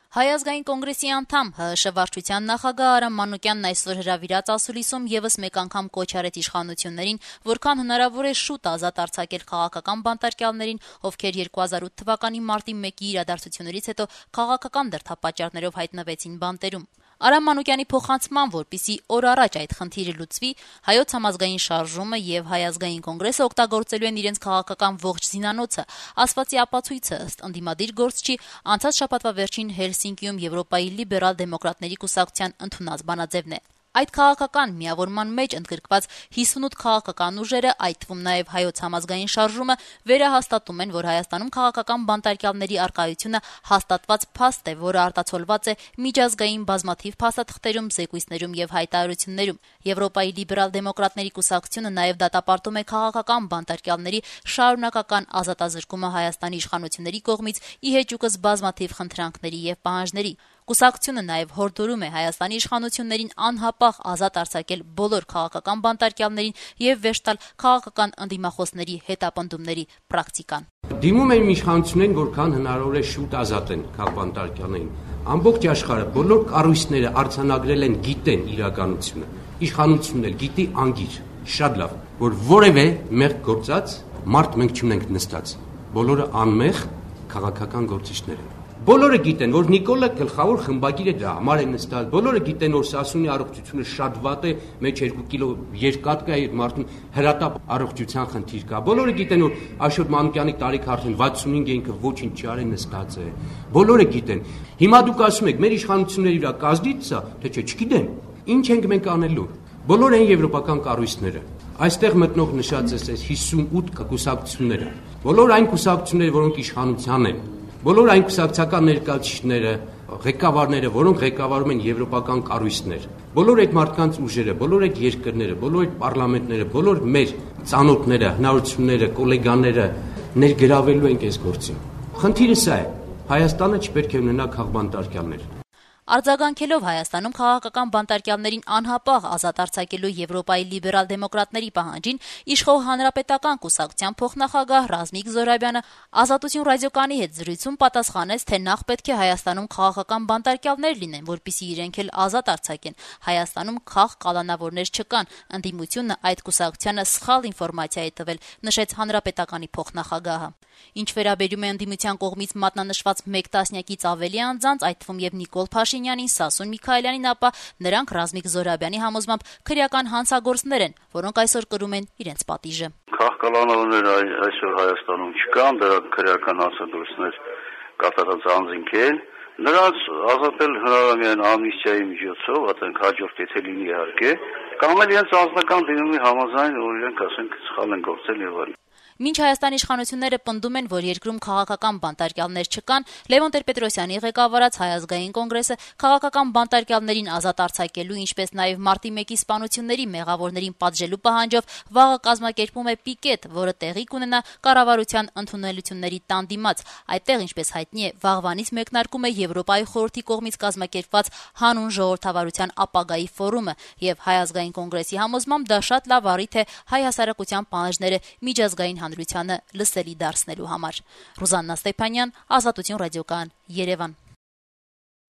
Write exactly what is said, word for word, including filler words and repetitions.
Հայ ազգային կոնգրեսի անդամ ՀՀՇ վարչության նախագահ Արամ Մանուկյանն այսօր հրավիրած ասուլիսում եւս մեկ անգամ կոչ արեց իշխանություններին, որքան հնարավոր է շուտ ազատ արձակել քաղաքական բանտարկյալներին, ովքեր երկու հազար ութ թվականի մարտի մեկի իրադարձություններից հետո քաղաքական դրդապատճառներով հայտնվեցին բանտերում։ Արամ Մանուկյանի փոխանցման, որպիսի օր առաջ այդ խնդիրը լուծվի, Հայոց համազգային շարժումը եւ Հայ ազգային կոնգրեսը օգտագործելու են իրենց քաղաքական ողջ զինանոցը, ասվածի ապացույցը ըստ ընդդիմադիր գործչի անցած շաբաթվա վերջին Հելսինկիում Եվրոպայի լիբերալ դեմոկրատների կուսակցության ընդունած բանաձևն է։ Այդ քաղաքական միավորման մեջ ընդգրկված հիսունութ քաղաքական ուժերը, այդ թվում նաև Հայոց համազգային շարժումը, վերահաստատում են, որ Հայաստանում քաղաքական բանտարկյալների առկայությունը հաստատված փաստ է, որը արտացոլված է միջազգային բազմաթիվ փաստաթղթերում, զեկույցներում եւ հայտարարություններում։ Եվրոպայի լիբերալ դեմոկրատների կուսակցությունը նաև դատապարտում է քաղաքական բանտարկյալների շարունակական ազատազրկումը Հայաստանի իշխանությունների կողմից ի հեճուկս բազմաթիվ խնդրանքների եւ պահանջների։ Կուսակցությունը նաև հորդորում է Հայաստանի իշխանություններին անհապաղ ազատ արձակել բոլոր քաղաքական բանտարկյալներին եւ վերջ տալ քաղաքական ընդդիմախոսների հետապնդումների պրակտիկան։ Դիմում են իշխանություններին, որքան հնարավոր է շուտ ազատեն քաղաքաբանտարկյալներին։ Ամբողջ աշխարհը, բոլոր կառույցները արձանագրել են, գիտեն իրականությունը։ Իշխանությունն էլ գիտի անգիր, շատ լավ, որ որևէ մեղք գործած մարդ մենք չունենք նստած։ Բոլորը անմեղ քաղաքական գործիչներ են։ Բոլորը գիտեն, որ Նիկոլը գլխավոր խմբագիր է, դրա համար է նստած։ Բոլորը գիտեն, որ Սասունի առողջությունը շատ վատ է, մեջ երկու կիլո երկաթ կա, այդ մարդուն հրատապ առողջության խնդիր կա։ Բոլորը գիտեն, որ Աշոտ Մանուկյանի տարիքը արդեն վաթսունհինգ է, ինքը ոչինչ չարի նստած է։ Բոլորը գիտեն։ Հիմա դուք ասում եք, մեր իշխանությունների վրա կազդից է, թե չէ, չգիտեմ։ Ինչ ենք մենք անելու։ Բոլոր են եվրոպական կառույցները։ Այստեղ մտնող նշած է հիսունութ կուսակցությունները։ Բոլոր այն կուսակցությունները, որոնք իշխանության են։ Բոլոր այն կուսակցական ներկայացուցիչները, ղեկավարները, որոնք ղեկավարում են եվրոպական կառույցներ, բոլոր այդ մարդկանց ուժերը, բոլոր այդ երկրները, բոլոր այդ պարլամենտները, բոլոր մեր ծանոթները, հնարավորությունները, գոլեգաները ներգրավելու են այս գործին։ Խնդիրը սա է։ Հայաստանը չպետք է ունենա քաղաքաբանտարկյալներ։ Արձագանքելով Հայաստանում քաղաքական բանտարկյալներին անհապաղ ազատ արձակելու Եվրոպայի լիբերալ դեմոկրատների պահանջին, իշխող հանրապետական կուսակցության փոխնախագահ Ռազմիկ Զոհրաբյանը Ազատություն ռադիոկայանի հետ զրույցում պատասխանեց, թե նախ պետք է Հայաստանում քաղաքական բանտարկյալներ լինեն, որպեսզի իրենք էլ ազատ արձակեն։ Հայաստանում քաղ կալանավորներ չկան, ընդդիմությունը այդ կուսակցությանը սխալ ինֆորմացիա է տվել, նշեց հանրապետականի փոխնախագահը։ Ինչ վերաբերում է ընդդիմության կողմից մատնանշված մեկ տասնյակից ավելի անձանց, այդ թվում եւ Նիկոլ Փաշինյանին, Սասուն Միքայելյանին, ապա նրանք Ռազմիկ Զոհրաբյանի համոզմամբ քրեական հանցագործներ են, որոնք այսօր կրում են իրենց պատիժը։ Քաղաքականավորներ այսօր Հայաստանում չկան, դրանք քրեական հանցագործներ կատարած անձինք են։ Նրանց ազատել հնարավոր է միայն ամնիստիայի միջոցով, այդենք հաջորդ եթե լինի իհարկե, կամ էլ իրենց անձնական դիմումի համաձայն, որ իրենք ասենք սխալ են գործել եւ այլն։ Մինչ Հայաստանի իշխանությունները պնդում են, որ երկրում քաղաքական բանտարկյալներ չկան, Լևոն Տեր-Պետրոսյանի ղեկավարած Հայ ազգային կոնգրեսը քաղաքական բանտարկյալներին ազատ արձակելու, ինչպես նաև մարտի մեկի սպանությունների մեղավորներին պատժելու պահանջով վաղը կազմակերպում է պիկետ, որը տեղի կունենա կառավարության ընդունելությունների տան դիմաց։ Այդտեղ, ինչպես հայտնի է, վաղվանից մեկնարկում է Եվրոպայի խորհրդի կողմից կազմակերպված հանուն ժողովրդավարության ապագայի ֆորումը, եւ Հայ ազգային կոնգրեսի համոզմամբ դա շատ լավ առիթ է հայ հասարակության պահանջները միջազգային հանրությանը լսելի դարձնելու համար։ Ռուզաննա Ստեփանյան, Ազատություն ռադիոկայան, Երևան։